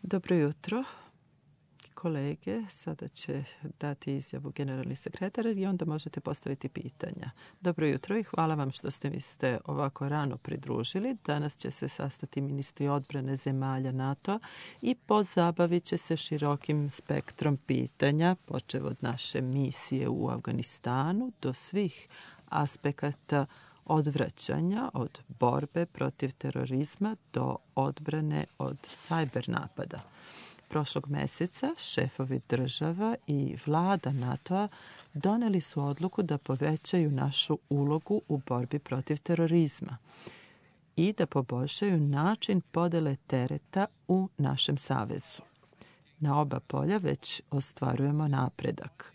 Dobro jutro, kolege. Sada će dati izjavu generalni sekretar i onda možete postaviti pitanja. Dobro jutro i hvala vam što ste mi ovako rano pridružili. Danas će se sastati ministri odbrane zemalja NATO i pozabavit će se širokim spektrom pitanja, počev od naše misije u Afganistanu do svih aspekata odvraćanja, od borbe protiv terorizma do odbrane od sajber napada. Prošlog meseca šefovi država i vlada NATO-a doneli su odluku da povećaju našu ulogu u borbi protiv terorizma i da poboljšaju način podele tereta u našem savezu. Na oba polja već ostvarujemo napredak.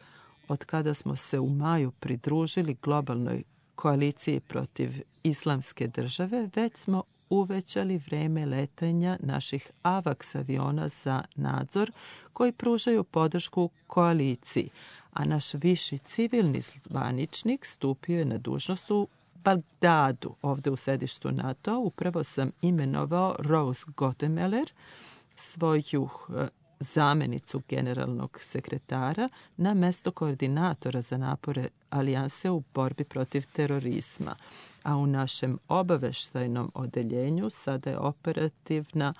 Od kada smo se u maju pridružili globalnoj koaliciji protiv islamske države, već smo uvećali vreme letanja naših AVAX aviona za nadzor koji pružaju podršku koaliciji, a naš viši civilni zvaničnik stupio je na dužnost u Bagdadu, ovde u sedištu NATO. Upravo sam imenovao Rose Gottemoeller, svoju zamenicu generalnog sekretara, na mesto koordinatora za napore alijanse u borbi protiv terorizma. A u našem obaveštajnom odeljenju sada je operativna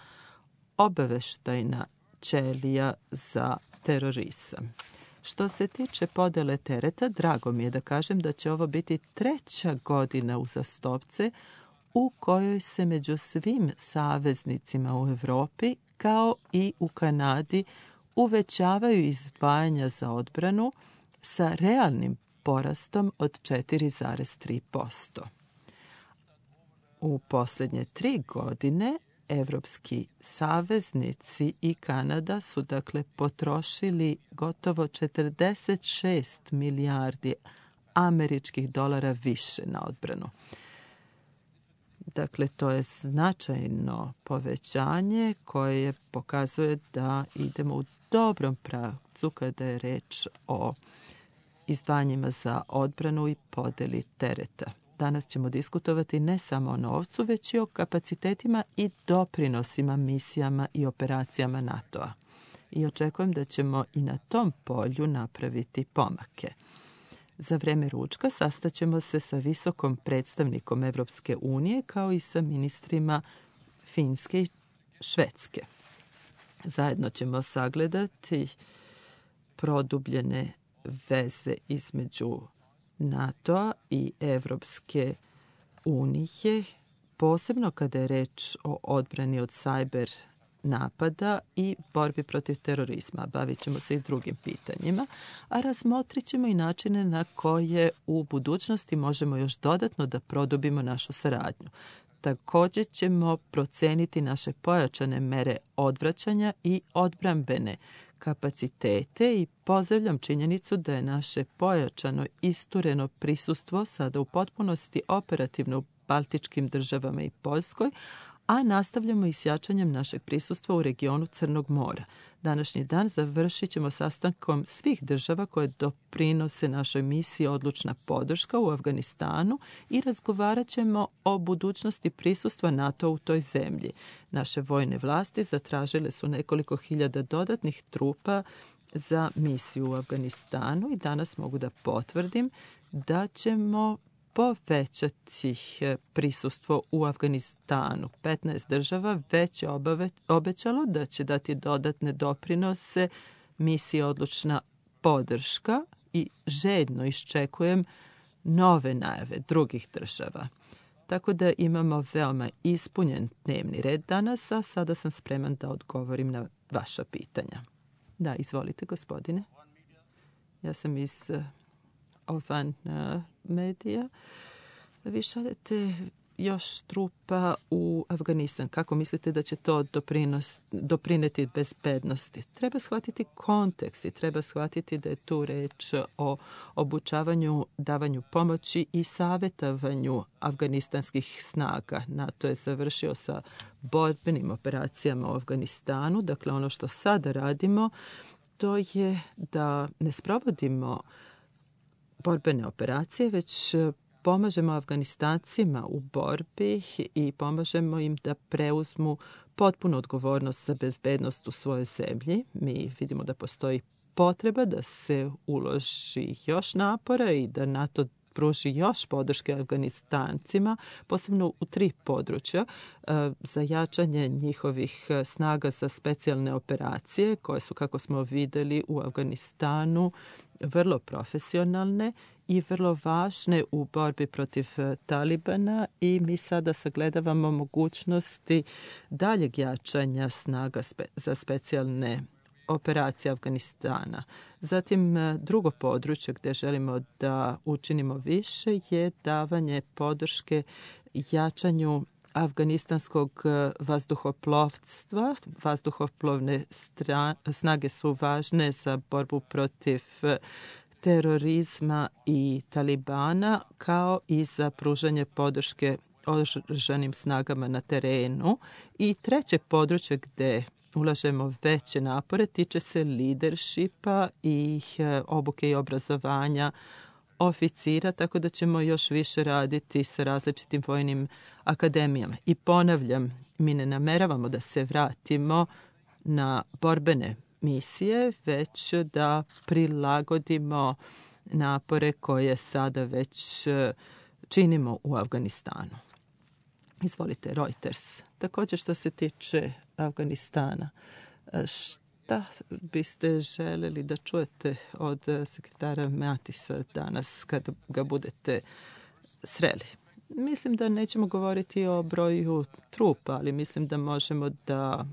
obaveštajna ćelija za terorizam. Što se tiče podele tereta, drago mi je da kažem da će ovo biti 3. godina uzastopce u kojoj se među svim saveznicima u Evropi kao i u Kanadi uvećavaju izdvajanja za odbranu sa realnim porastom od 4,3%. U posljednje 3 godine evropski saveznici i Kanada su potrošili gotovo 46 milijardi američkih dolara više na odbranu. To je značajno povećanje koje pokazuje da idemo u dobrom pravcu kada je reč o izdvajanjima za odbranu i podeli tereta. Danas ćemo diskutovati ne samo o novcu, već i o kapacitetima i doprinosima misijama i operacijama NATO-a. I očekujem da ćemo i na tom polju napraviti pomake. Za vreme ručka sastaćemo se sa visokom predstavnikom Evropske unije kao i sa ministrima Finske i Švedske. Zajedno ćemo sagledati produbljene veze između NATO-a i Evropske unije, posebno kada je reč o odbrani od sajber napada i borbi protiv terorizma. Bavit ćemo se i drugim pitanjima, a razmotrit ćemo i načine na koje u budućnosti možemo još dodatno da produbimo našu saradnju. Također ćemo proceniti naše pojačane mere odvraćanja i odbrambene kapacitete i pozdravljam činjenicu da je naše pojačano istureno prisustvo sada u potpunosti operativno u baltičkim državama i Poljskoj, a nastavljamo i s jačanjem našeg prisustva u regionu Crnog mora. Današnji dan završit ćemo sastankom svih država koje doprinose našoj misiji Odlučna podrška u Afganistanu i razgovarat ćemo o budućnosti prisustva NATO u toj zemlji. Naše vojne vlasti zatražile su nekoliko hiljada dodatnih trupa za misiju u Afganistanu i danas mogu da potvrdim da ćemo povećati prisustvo u Afganistanu. 15 država već je obećalo da će dati dodatne doprinose misiji Odlučna podrška i željno iščekujem nove najave drugih država. Tako da imamo veoma ispunjen dnevni red danas, a sada sam spreman da odgovorim na vaša pitanja. Da, izvolite, gospodine. Ja sam iz Ovan medija. Vi šaljete još trupa u Afganistan. Kako mislite da će to doprineti bezbednosti? Treba shvatiti kontekst i treba shvatiti da je tu reč o obučavanju, davanju pomoći i savjetovanju afganistanskih snaga. NATO je završio sa borbenim operacijama u Afganistanu. Dakle, ono što sada radimo, to je da ne sprovodimo borbene operacije, već pomažemo Afganistancima u borbi i pomažemo im da preuzmu potpunu odgovornost za bezbednost u svojoj zemlji. Mi vidimo da postoji potreba da se uloži još napora i da NATO pruži još podrške Afganistancima, posebno u 3 područja, za jačanje njihovih snaga za specijalne operacije, koje su, kako smo videli u Afganistanu, vrlo profesionalne i vrlo važne u borbi protiv Talibana, i mi sada sagledavamo mogućnosti daljeg jačanja snaga za specijalne operacije Afganistana. Zatim, drugo područje gdje želimo da učinimo više je davanje podrške jačanju afganistanskog vazduhoplovstva. Vazduhoplovne snage su važne za borbu protiv terorizma i Talibana, kao i za pružanje podrške oružanim snagama na terenu. I treće područje gdje ulažemo veće napore tiče se leadershipa i obuke i obrazovanja oficira, tako da ćemo još više raditi sa različitim vojnim akademijama. I ponavljam, mi ne nameravamo da se vratimo na borbene misije, već da prilagodimo napore koje sada već činimo u Afganistanu. Izvolite, Reuters. Također, što se tiče Afganistana, šta biste želeli da čujete od sekretara Matisa danas kada ga budete sreli? Mislim da nećemo govoriti o broju trupa, ali mislim da možemo da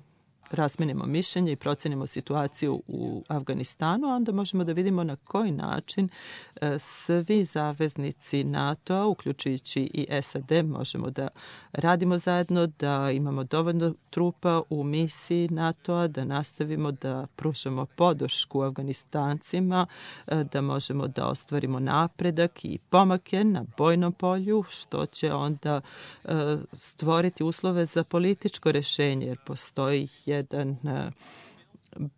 razmenimo mišljenje i procenimo situaciju u Afganistanu, a onda možemo da vidimo na koji način svi zaveznici NATO-a, uključujući i SAD, možemo da radimo zajedno, da imamo dovoljno trupa u misiji NATO-a, da nastavimo da pružamo podršku Afganistancima, da možemo da ostvarimo napredak i pomake na bojnom polju, što će onda stvoriti uslove za političko rješenje, jer postoji jedan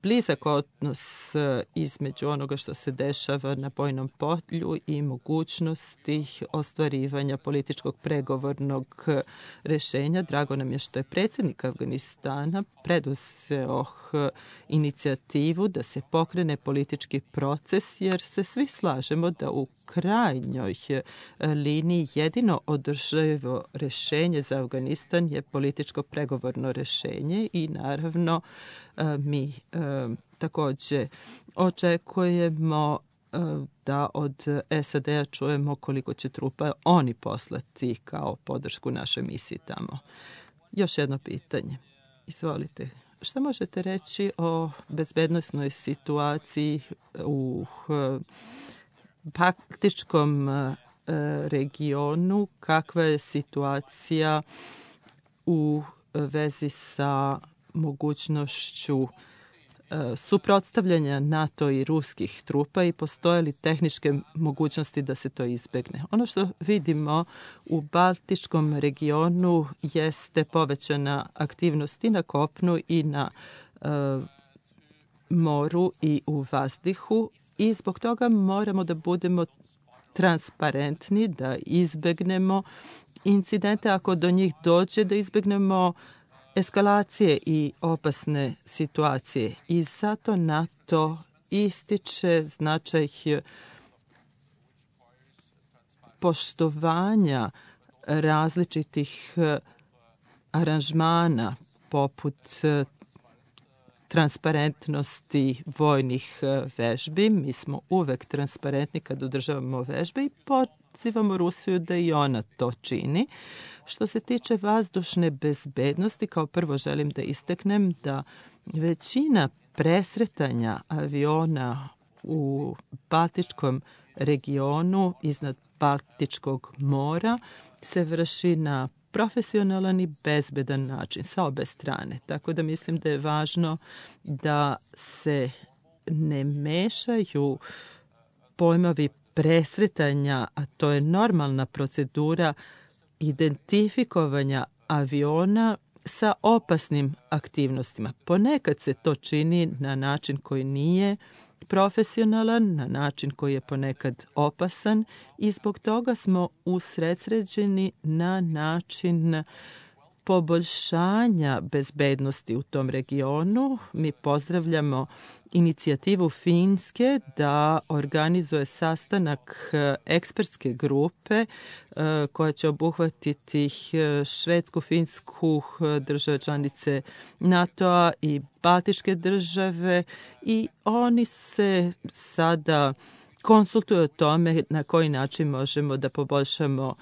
blizak odnos između onoga što se dešava na bojnom polju i mogućnosti ostvarivanja političkog pregovornog rješenja. Drago nam je što je predsjednik Afganistana preduzeo inicijativu da se pokrene politički proces, jer se svi slažemo da u krajnjoj liniji jedino održivo rješenje za Afganistan je političko pregovorno rješenje i naravno mi također očekujemo da od SAD-a čujemo koliko će trupa oni poslati kao podršku našoj misiji tamo. Još jedno pitanje. Izvolite. Šta možete reći o bezbednosnoj situaciji u paktičkom regionu? Kakva je situacija u vezi sa mogućnošću suprotstavljanja NATO i ruskih trupa i postoje li tehničke mogućnosti da se to izbjegne? Ono što vidimo u Baltičkom regionu jeste povećana aktivnost i na kopnu i na moru i u vazduhu, i zbog toga moramo da budemo transparentni, da izbjegnemo incidente, ako do njih dođe, da izbjegnemo eskalacije i opasne situacije. I zato NATO ističe značaj poštovanja različitih aranžmana poput transparentnosti vojnih vežbi. Mi smo uvek transparentni kad održavamo vežbe i pozivamo Rusiju da i ona to čini. Što se tiče vazdušne bezbednosti, kao prvo želim da istaknem da većina presretanja aviona u Baltičkom regionu iznad Baltičkog mora se vrši na profesionalan i bezbedan način sa obe strane. Tako da mislim da je važno da se ne mešaju pojmovi presretanja, a to je normalna procedura identifikovanja aviona sa opasnim aktivnostima. Ponekad se to čini na način koji nije profesionalan, na način koji je ponekad opasan i zbog toga smo usredsređeni na način poboljšanja bezbednosti u tom regionu. Mi pozdravljamo inicijativu Finske da organizuje sastanak ekspertske grupe koja će obuhvatiti Švedsku, Finsku, države članice NATO-a i Baltičke države i oni se sada konsultuju o tome na koji način možemo da poboljšamo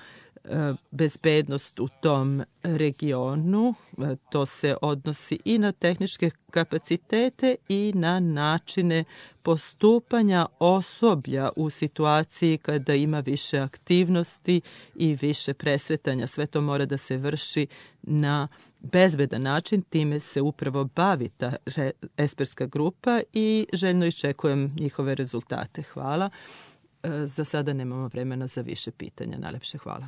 bezbednost u tom regionu. To se odnosi i na tehničke kapacitete i na načine postupanja osoblja u situaciji kada ima više aktivnosti i više presretanja. Sve to mora da se vrši na bezbedan način. Time se upravo bavi ta ekspertska grupa i željno iščekujem njihove rezultate. Hvala. Za sada nemamo vremena za više pitanja. Najlepše hvala.